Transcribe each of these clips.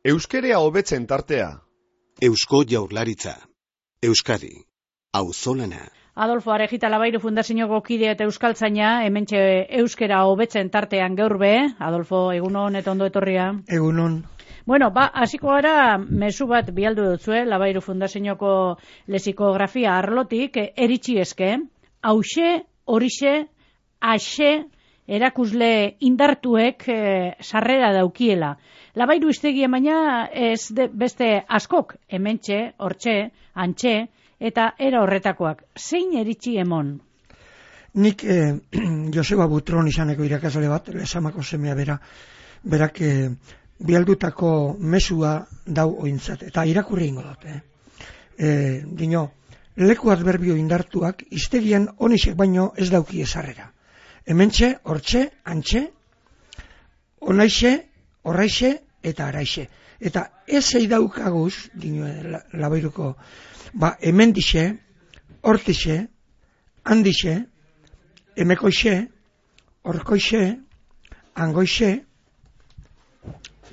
Euskerea hobetzen tartea. Eusko Jaurlaritza. Euskadi. Auzolana. Adolfo Arejita Labairu Fundazioko kide eta euskaltzaina, hementxe euskera hobetzen tartean gaur be. Adolfo, egunon eta ondo etorria. Egunon. Bueno, hasiko gara mezu bat bialdu dutzue, Labairu Fundazioko lexikografia arlotik, eritsi eske, hauxe, horixe, axe, erakusle indartuek sarrera daukiela. Labairu iztegia baina ez beste askok, hementxe, hortxe, antxe, eta era horretakoak. Zein eritzi emon? Nik Joseba Butron izaneko irakasle bat, Lesamako semea berak bialdutako mesua dau ointzat, eta irakurri ingo dut. Dino, leku adberbio indartuak iztegian onixek baino ez dauki esarrera. Hementxe, hortxe, antxe, onaixe, horraixe eta araixe. Eta ezei daukaguz, dino, Labairuko, hemendixe, hortixe, handixe, emekoixe, horkoixe, angoixe,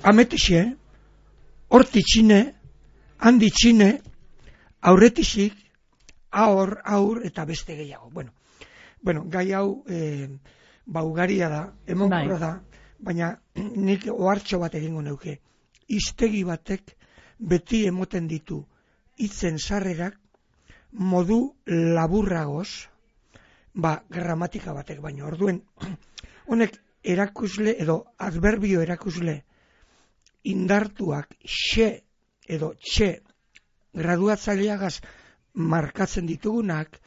ametixe, hortitxine, handitxine, aurretixik, aur eta beste gehiago. Bueno, gai hau ugaria da, emonkorra da, baina nik ohartxo bat egingo neuke. Hiztegi batek beti emoten ditu hitzen sarrerak modu laburragoz, gramatika batek baino. Orduen, honek erakusle edo adberbio erakusle indartuak xe edo txe graduatzaileagaz markatzen ditugunak,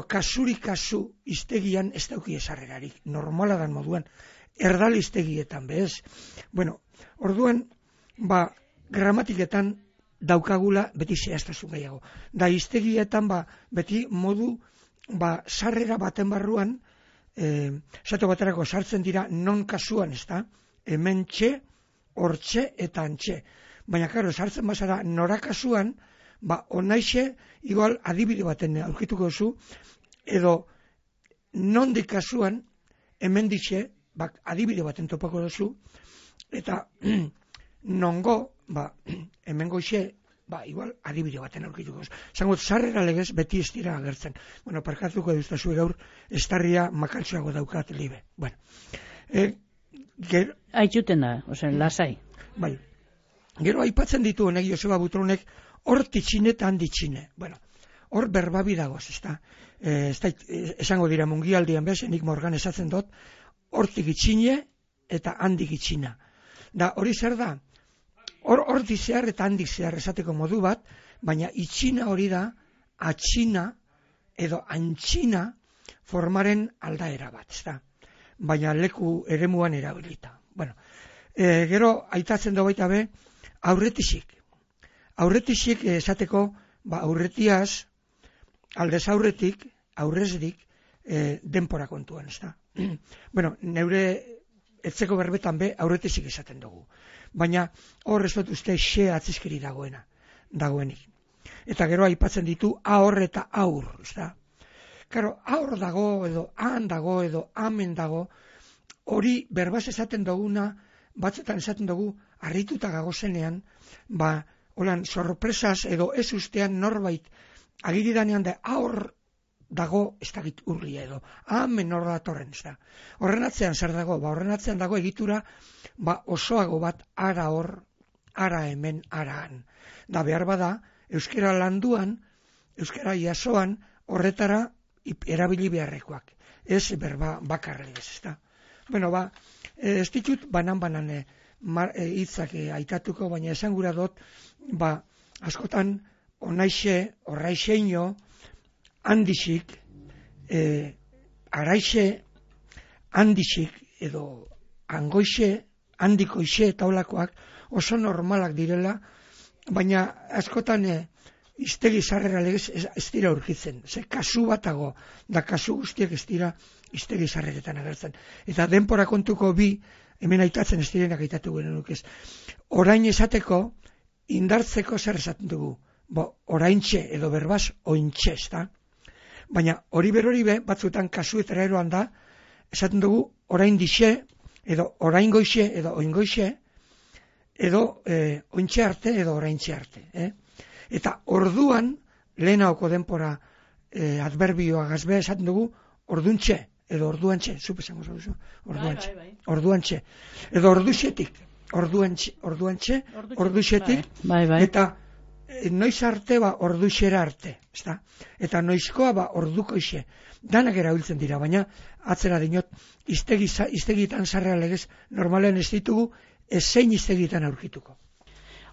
kasurik kasu hiztegian ez dauki esarrerarik, normala dan moduan, erdal hiztegietan bez. Bueno, orduan, gramatiketan daukagula beti zehaztasun gehiago. Da hiztegietan beti modu sarrera baten barruan, esate baterako sartzen dira non kasuan, ez da, hemen txe, hortxe eta antxe. Baina, sartzen bazara nora kasuan, onaixe, igual adibide baten aurkituko duzu, edo nondik kasuan, hemen ditxe, adibide baten topako duzu, eta nongo, hemen goixe, igual adibide baten aurkituko duzu. Zangot, sarrera legez beti ez dira agertzen. Bueno, parkatuko duztazu gaur, estarria makaltsuago daukat libe. Bueno. Aitzuten da, lasai. Bai. Gero aipatzen ditu honek Joseba Butronek hortitxine eta handitxine. Bueno, hor berbabi dagoz, ezta? Esango dira mungialdian bez, enik morgan esatzen dut, hortik itxine eta handik itxina. Da, hori zer da? Hortik zehar eta handik zehar esateko modu bat, baina itxina hori da, atxina edo antxina formaren aldaera bat, ezta? Baina leku eremuan erabilita. Bueno, gero aitatzen du baita be, aurretixik. Aurretixik esateko, aurretiaz, aldez aurretik, aurrezdik, denpora kontuan, ezta? Bueno, neure etzeko berbetan be, aurretixik esaten dugu. Baina hor ez dut uste xe atzizkeri dagoenik. Eta gero aipatzen ditu ahor eta aur, ezta? Karo, aur dago, edo han dago, edo amen dago, hori berbaz esaten duguna, batzutan esaten dugu, harrituta gagozenean, holan, sorpresaz edo ez ustean norbait agiridanean da aur dago, ez dakit urria edo, amen hor datorren, ez da. Horren atzean zer dago? Horren atzean dago egitura, osoago bat ara hor, ara hemen, ara han. Da behar bada, euskera landuan, euskera jasoan, horretara erabili beharrekoak. Ez berba bakarregez, ez da. Bueno, ez ditut banan hitzak aitatuko, baina esan gura dut, askotan onaixe, horraixeino, handixik, araixe, handixik, edo angoixe, handikoixe eta olakoak oso normalak direla, baina askotan hiztegi sarrera legez ez dira aurkitzen. Kasu batago, da kasu guztiak ez dira hiztegi sarreretan agertzen. Eta denpora kontuko bi, hemen aitatzen ez direnak aitatu genuk ez. Orain esateko, indartzeko zer esaten dugu. Oraintxe edo berbaz ointxe, ez da? Baina hori berori be, batzutan kasuetara eroan da, esaten dugu orain dixe, edo orain goixe, edo oingoixe, edo ointxe arte edo oraintxe arte. Eta orduan, lehenagoko denpora adverbioa gazbea esaten dugu, orduntxe, edo orduantxe, zupe esango zauzu, orduantxe, orduantxe, edo orduxetik, orduantxe, orduxetik, eta noiz arte orduxera arte, ezta? Eta noizkoa ordukoixe, danak erabiltzen dira, baina atzera dinot, iztegitan sarrea legez, normalean ez ditugu, zein iztegitan aurkituko.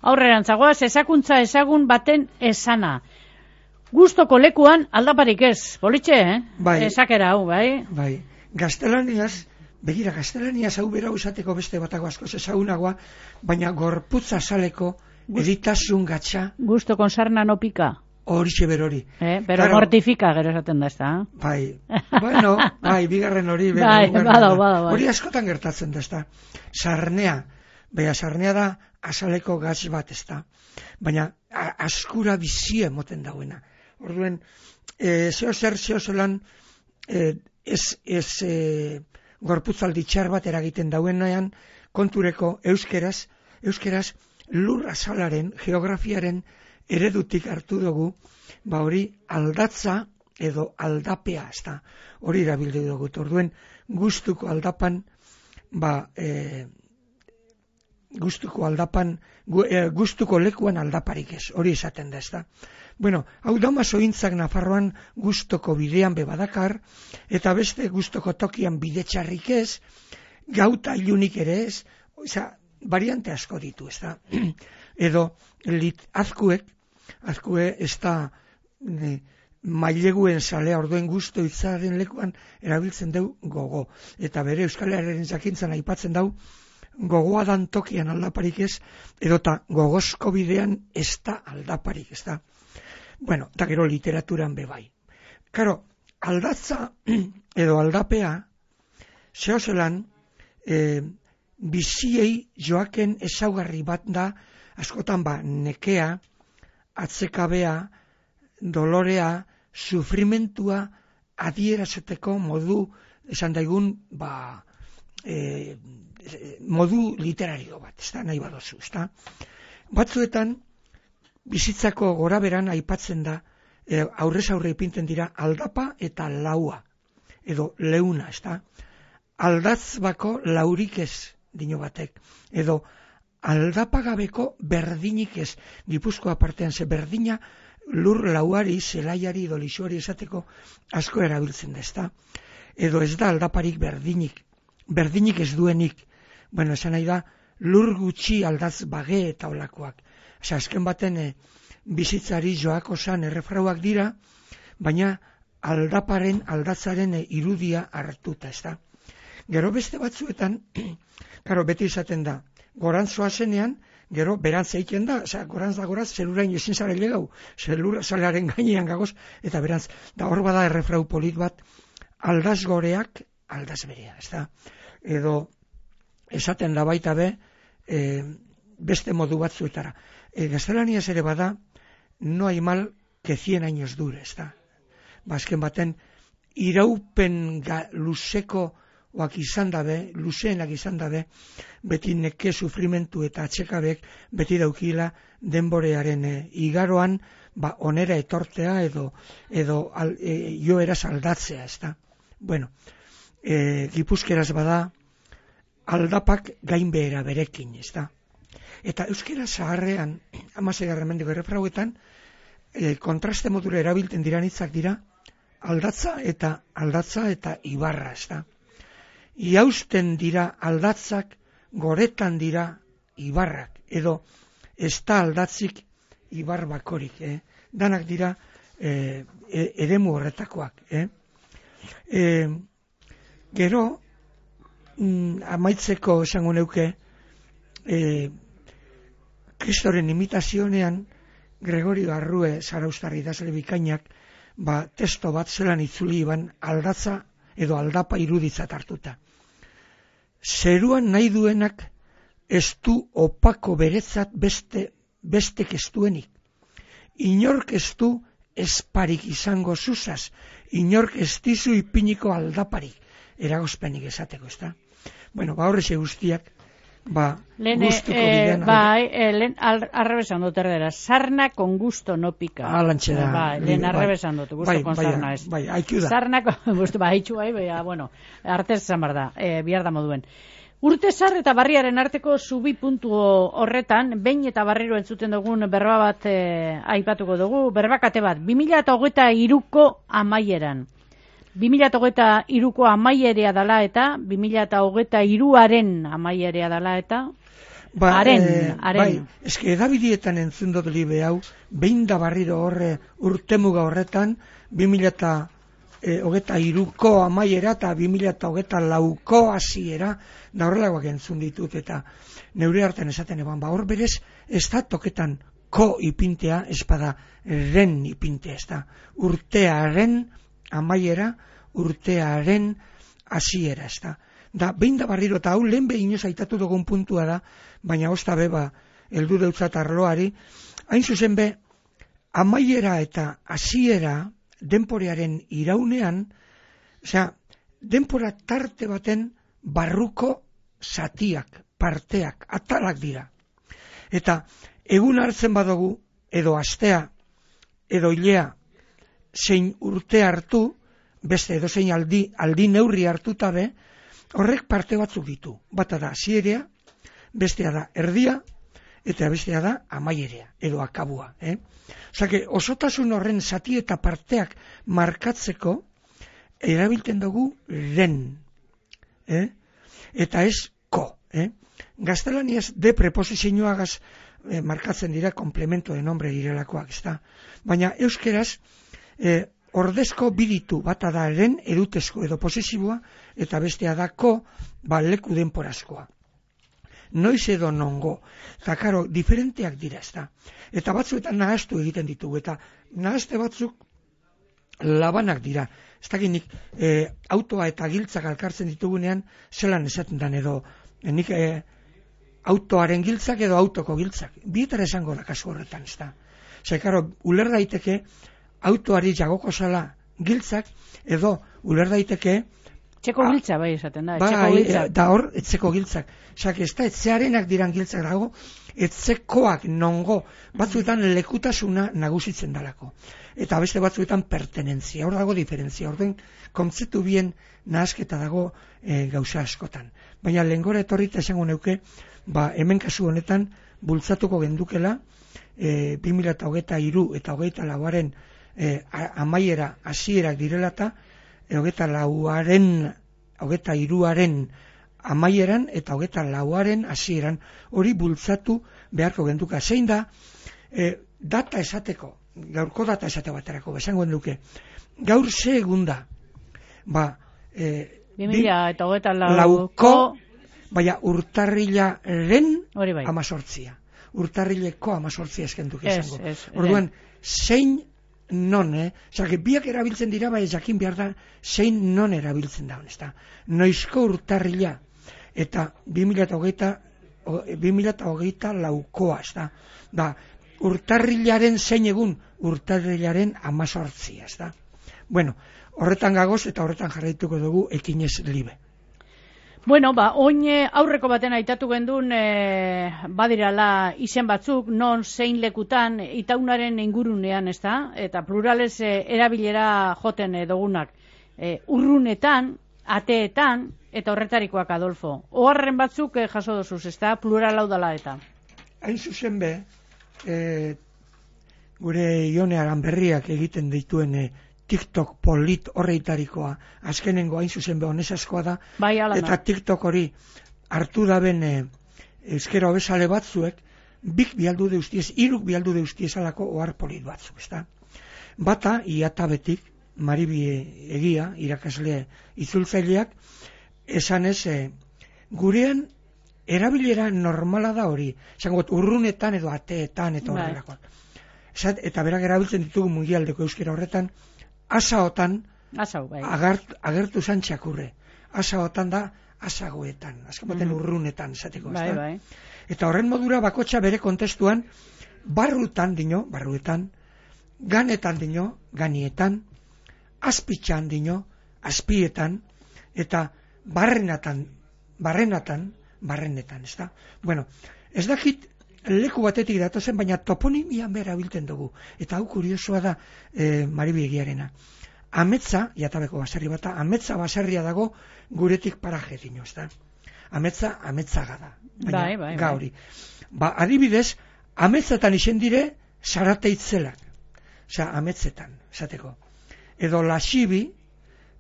Aurrerantzagoaz, ezakuntza ezagun baten esana. Gustoko lekuan aldaparik ez, politxe, Bai. Esakera hau, bai? Bai, gaztelaniaz, begira, gaztelaniaz hau bera usateko beste batago askoz ezagunagoa, baina gorputza saleko editasun gatsa. Gusto konsarna no pika. Horixe berori. Pero Claro, mortifika gero esaten da, ezta? Bai, bueno, bai, bigarren hori. Bai, bada. Hori askotan gertatzen da, ezta. Sarnea, sarnea da azaleko gatz bat, ezta. Baina askura bizie moten dauena. Orduen, zeozelan gorputzaldi txar bat eragiten dauenean, kontureko euskeraz lur azalaren, geografiaren eredutik hartu dugu, hori aldatza edo aldapea, ezta. Hori erabildu dugu. Orduen, gustuko aldapan, gustuko lekuan aldaparik ez, hori esaten da, ezta. Bueno, hau dauma sointzak Nafarroan gustoko bidean bebadakar, eta beste gustoko tokian bide txarrik ez, gauta ilunik ere ez, variante asko ditu, ezta. Edo azkue ez da maileguen salea, orduen gusto hitzaren lekuan erabiltzen deu gogo. Eta bere Euskal Herriaren jakintzan aipatzen dau, gogoa dan tokian aldaparik ez, edota gogozko bidean ez da aldaparik, ez da. Bueno, eta gero literaturan bebai. Karo, aldatza edo aldapea, zehozelan, biziei joaken ezaugarri bat da, askotan nekea, atzekabea, dolorea, sufrimentua adierazteko modu, esan daigun, modu literario bat, ez da, nahi badozu, ez da. Batzuetan, bizitzako goraberan aipatzen da, aurrez aurre ipinten dira, aldapa eta laua, edo leuna, ez da. Aldatz bako laurik ez, dino batek, edo aldapagabeko berdinik ez, Gipuzkoa partean ze berdina, lur lauari, zelaiari, edo lisuari esateko asko erabiltzen da, ez da. Edo ez da aldaparik berdinik ez duenik, bueno, esan nahi da, lur gutxi aldatz bage eta olakoak. Azken baten bizitzari joako zan errefrauak dira, baina aldatzaren irudia hartuta, ez da. Gero beste batzuetan, karo, beti izaten da, gorantzoa zenean, gero berantz egiten da, gorantz da goraz, zelurain ezin zara legau, zelura zalearen gainean gagoz, eta berantz, da hor bada errefrau polit bat, aldaz goreak, aldaz berea, ez da. Edo, esaten da baita be, beste modu batzuetara. Gaztelaniaz ere bada, no hay mal que 100 años dure, ez da. Azken baten, iraupen luzeko oak izan dabe, luzeenak izan dabe, beti neke sufrimentu eta atxekabek beti daukila denborearen igaroan, onera etortea edo joeraz aldatzea, ez da. Bueno, gipuzkeraz bada, aldapak gainbehera berekin, ez da. Eta euskera zaharrean, 16. mendeko errefrauetan, kontraste modura erabilten diran hitzak dira, aldatza eta ibarra, ez da. Iausten dira aldatzak, goretan dira ibarrak, edo ez da aldatzik ibar bakorik, danak dira eremu horretakoak. Gero, amaitzeko esango neuke, Kristoren imitazionean, Gregorio Arrue zaraustarri idazle bikainak, testo bat zelan itzuli iban aldatza edo aldapa iruditzat hartuta. Zeruan nahi duenak ez du opako beretzat bestek ez duenik. Inork ez du esparik izango zuzaz, inork ez dizu ipiniko aldaparik, eragozpenik esateko, ez da? Bueno, horrexe guztiak, gustuko bidean. Lehen arrebesan dut erdera, sarna con gusto no pica. Alantxe da. Lehen arrebesan dut, gusto con sarna ez. Bai, haiku da. Sarna con gusto, haitxu bueno, artez zamar da, bihar da moduen. Urtezar eta Barriaren arteko zubi puntu horretan, behin eta barriro entzuten dugun berba bat aipatuko dugu, berbakate bat, 2023ko amaieran. 2023ko amaierea dala eta 2023aren amaierea dala eta haren. Bai, eske edabidietan entzun dut libe hau, behin da barriro horre urtemuga horretan 2023ko amaiera eta 2024ko hasiera da horrelagoak entzun ditut eta neure artean esaten eban, hor berez ez da toketan ko ipintea, espada ren ipintea, ez da urtearen amaiera, urtearen hasiera, ez da. Da, behin da barriro, eta hau lehen behin aitatu dugun puntua da, baina ozta beba, heldu deutzat arloari, hain zuzen be, amaiera eta hasiera denporearen iraunean, osea, denpora tarte baten barruko zatiak, parteak, atalak dira. Eta egun hartzen badugu, edo astea, edo hilea, zein urte hartu, beste edo zein aldi neurri hartuta be, horrek parte batzuk ditu. Bata da hasierea, bestea da erdia, eta bestea da amaierea, edo akabua. Osake, osotasun horren zati eta parteak markatzeko, erabiltzen dugu ren. Eta ez ko. Gaztelaniaz de preposizioagaz markatzen dira komplemento de nombre direlakoak, ezta. Baina euskeraz, ordezko biditu, bata da eren edutezko edo posesiboa, eta bestea da ko, leku denporazkoa. Noiz edo nongo. Eta karo, diferenteak dira, ezta. Eta batzuetan nahaztu egiten ditugu, eta nahazte batzuk labanak dira. Ez dakinik, autoa eta giltzak alkartzen ditugunean, zelan esaten dan edo, nik autoaren giltzak edo autoko giltzak. Bietara esango da kasu horretan, ezta. Zer, karo, uler daiteke, autoari jagoko zala giltzak, edo uler daiteke txeko giltza bai esaten da, da hor, etzeko giltzak. Osak, ez da etzearenak diran giltzak dago, etzekoak nongo, batzuetan lekutasuna nagusitzen dalako. Eta beste batzuetan pertenentzia, hor dago diferentzia, orden kontzeptu bien nahasketa dago gauza askotan. Baina lehengora etorrita esango neuke, hemen kasu honetan bultzatuko gendukela 2023 eta 2024aren amaiera hasierak direlata, 23aren amaieran eta 24aren hasieran hori bultzatu beharko genduka. Zein da data esateko, gaurko data esate baterako, esango duke, gaur ze egun da, 2024ko, baina urtarrilaren 18. Urtarrileko 18 eskenduke esango. Orduan, zein non, zake, biak erabiltzen dira, bai jakin behar da, zein non erabiltzen da, honesta. Noizko urtarrila, eta 2024koa, ez da. Da, urtarrilaren zein egun, urtarrilaren 18, ez da. Bueno, horretan gagoz eta horretan jarraituko dugu ekinez libe. Bueno, oin aurreko baten aitatu gendun badirala izen batzuk, non zein lekutan, itaunaren ingurunean, ez da? Eta plurales erabilera joten dugunak. Urrunetan, ateetan, eta horretarikoak, Adolfo. Oharren batzuk jaso dozuz, ez da? Plural hau dala eta. Hain zuzen be, gure Ione Aranberriak egiten dituen TikTok polit horreitarikoa, azkenengo hain zuzen be honesaskoa da, eta TikTok hori hartu daben euskera hobesale batzuek, bik bialdu deuztiez, iruk bialdu deuztiez alako ohar polit batzuk, ezta? Bata, iatabetik, Maribi Egia, irakasle itzultzaileak, esanez, gurean erabilera normala da hori, esangot urrunetan edo ateetan eta horrelakoak. Eta berak erabiltzen ditugu mundialdeko euskera horretan, asaotan agertu zan txakurre. Asaotan da asagoetan, azken baten urrunetan esateko. Eta horren modura bakotxa bere kontestuan barrutan dino, barruetan, ganetan dino, ganietan, azpitxan dino, azpietan, eta barrenatan, barrenetan, ezta? Bueno, ez dakit leku batetik datozen, baina toponimian bera bilten dugu. Eta hau kuriosoa da Maribi Egiarena. Ametza, jatabeko baserri bata, ametza baserria dago guretik paraje dino, ezta? Ametzaga da. Baina, gauri. Ba, adibidez, ametzetan izen dire Zarateitzelak. Osa, ametzetan, esateko. Edo Lasibi,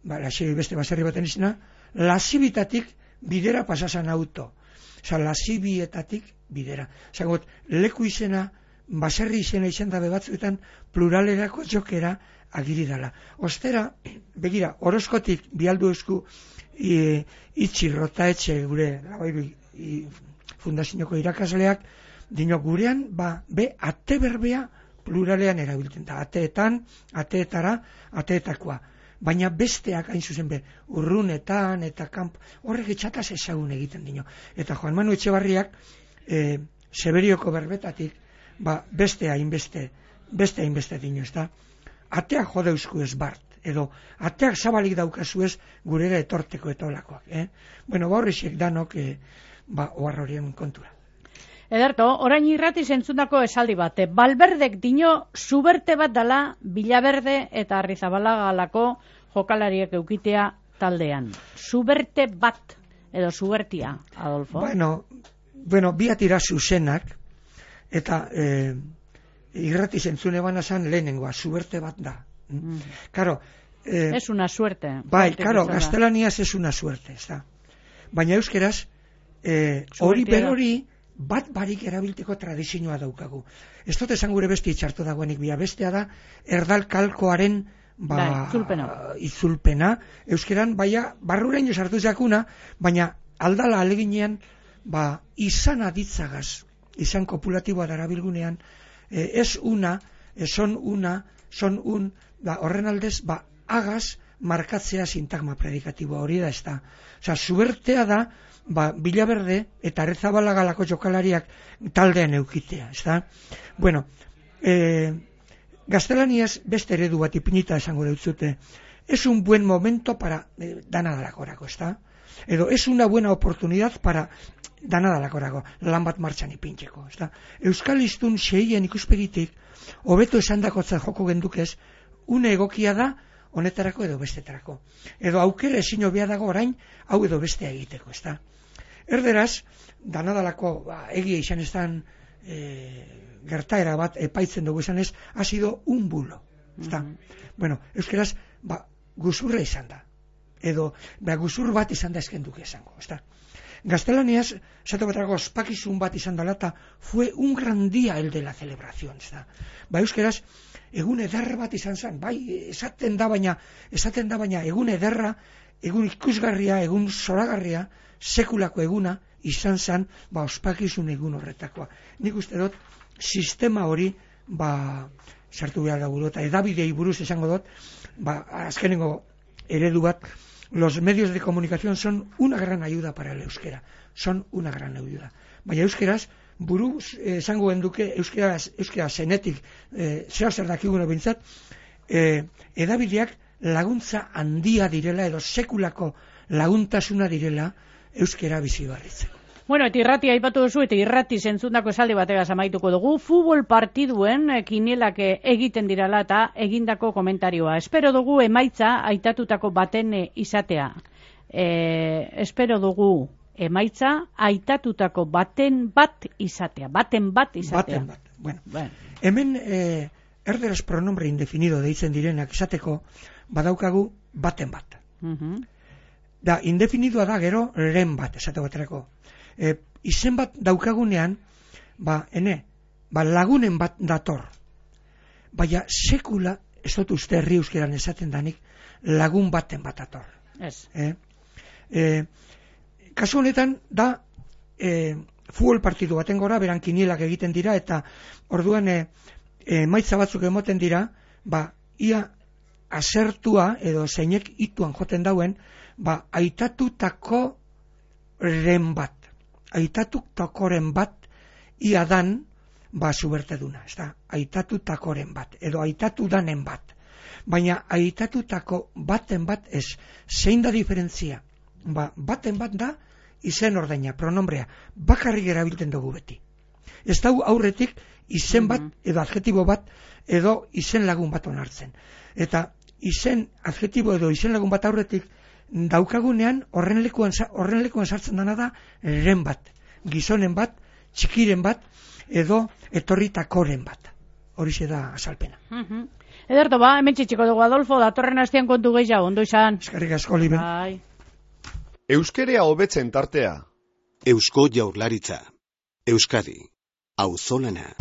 Lasibi beste baserri baten izena, Lasibitatik bidera pasasan auto. Osa, Lasibietatik bidera. Osa, leku izena, baserri izena izan dabe batzuetan, pluralerako jokera agiri dala. Ostera, begira, Orozkotik bialdu esku itxi rotaetxe gure fundazioko irakasleak, dino gurean, ate berbea pluralean erabiltzen da. Ateetara, ateetakoa. Baina besteak hain zuzen urrunetan eta kanpo, horrek etxataz ezagun egiten dino. Eta Juan Manu Etxebarriak, Seberioko berbetatik, beste hainbeste dino, ez da? Ateak jodeuzku ez bart, edo ateak zabalik daukazu ez gurera etorteko eta olakoak. Bueno, horrexek danok oar horien kontura. Ederto, orain irrati zentzundako esaldi bate. Balberdek dino zuberte bat dala Villaverde eta Arrizabalagalako jokalariek eukitea taldean. Zuberte bat, edo zubertia, Adolfo? Bueno, biatira zuzenak, eta irrati zentzune banazan lehenengoa, zuberte bat da. Claro, es una suerte. Bai, claro, gaztelaniaz es una suerte, ez da. Baina euskeraz, hori berori bat barik erabilteko tradizioa daukagu. Ez dut esan gure beste itxartu dagoenik bia, bestea da erdal kalkoaren itzulpena. Euskeran, barruraino sartu jakuna, baina aldala aleginean, izan aditzagaz, izan kopulatiboa darabilgunean, son un, horren aldez, agaz markatzea sintagma predikatiboa, hori da ez da. Osa, zubertea da, Villaverde eta Arrizabalagalako jokalariak taldean eukitea, ez da? Bueno, gaztelaniaz beste eredu bat ipinita esango deutzute, es un buen momento para danadalakorako, ez da? Edo, es una buena oportunidad para danadalakorako, lan bat martxan ipintxeko, ez da? Euskal Hiztun xeien ikuspegitik, hobeto esandakotza joko gendukez, une egokia da, honetarako edo bestetarako. Edo aukera ezin hobea dago orain, hau edo bestea egiteko, ez da? Erderaz, danadalako egia izan ez dan gertaera bat epaitzen dugu izan ez, ha sido un bulo, ez da? Bueno, euskeraz, guzurra izan da. Edo, guzur bat izan da esken duke esango, ez da? Gaztelaniaz, esatu batarako ospakizun bat izan dela, eta fue un gran día el de la celebración, ez da? Euskeraz, egun ederra bat izan zen, esaten da baina egun ederra, egun ikusgarria, egun zoragarria, sekulako eguna izan zen, ospakizun egun horretakoa. Nik uste dut, sistema hori, sartu behar dago dut, edabidei buruz esango dut, azkenengo eredu bat, los medios de comunicación son una gran ayuda para el euskera, son una gran ayuda. Baina euskeraz, buruz esango genduke euskera zenetik zer dakiguno bintzat, edabideak laguntza handia direla edo sekulako laguntasuna direla euskera bizi barritzeko. Bueno, eta irrati aipatu duzu, eta irrati zentzundako esaldi bategaz amaituko dugu, futbol partiduen kinielak egiten dirala eta egindako komentarioa. Espero dugu emaitza aitatutako baten izatea. Espero dugu emaitza aitatutako baten bat izatea. Bueno. Hemen erderaz pronombre indefinido deitzen direnak izateko badaukagu baten bat. Da, indefinidoa da gero lehen bat, esate baterako. Izen bat daukagunean, lagunen bat dator. Baina sekula, ez dut uste herri euskeran esaten danik, lagun baten bat dator. Kasu honetan, da, futbol partidu baten gora, beran kinielak egiten dira, eta orduan emaitza batzuk emoten dira, ia asertua, edo zeinek ituan joten dauen, aitatutako ren bat. Aitatutakoren bat, ia dan, zuberteduna, ez da, aitatutakoren bat, edo aitatu danen bat. Baina aitatutako baten bat ez, zein da diferentzia? Baten bat da, izen ordaina, pronombrea, bakarrik erabiltzen dugu beti. Ez da aurretik izen bat, edo adjetibo bat, edo izen lagun bat onartzen. Eta izen, adjetibo edo izen lagun bat aurretik, daukagunean horren lekuan sartzen dana da ren bat, gizonen bat, txikiren bat, edo etorritakoren bat. Horixe da azalpena. Ederto, hemen txiko dugu, Adolfo, datorren astean kontu gehiago, ondo izan. Eskerrik asko, Liben. Bai. Euskerea hobetzen tartea. Eusko Jaurlaritza. Euskadi. Auzolana.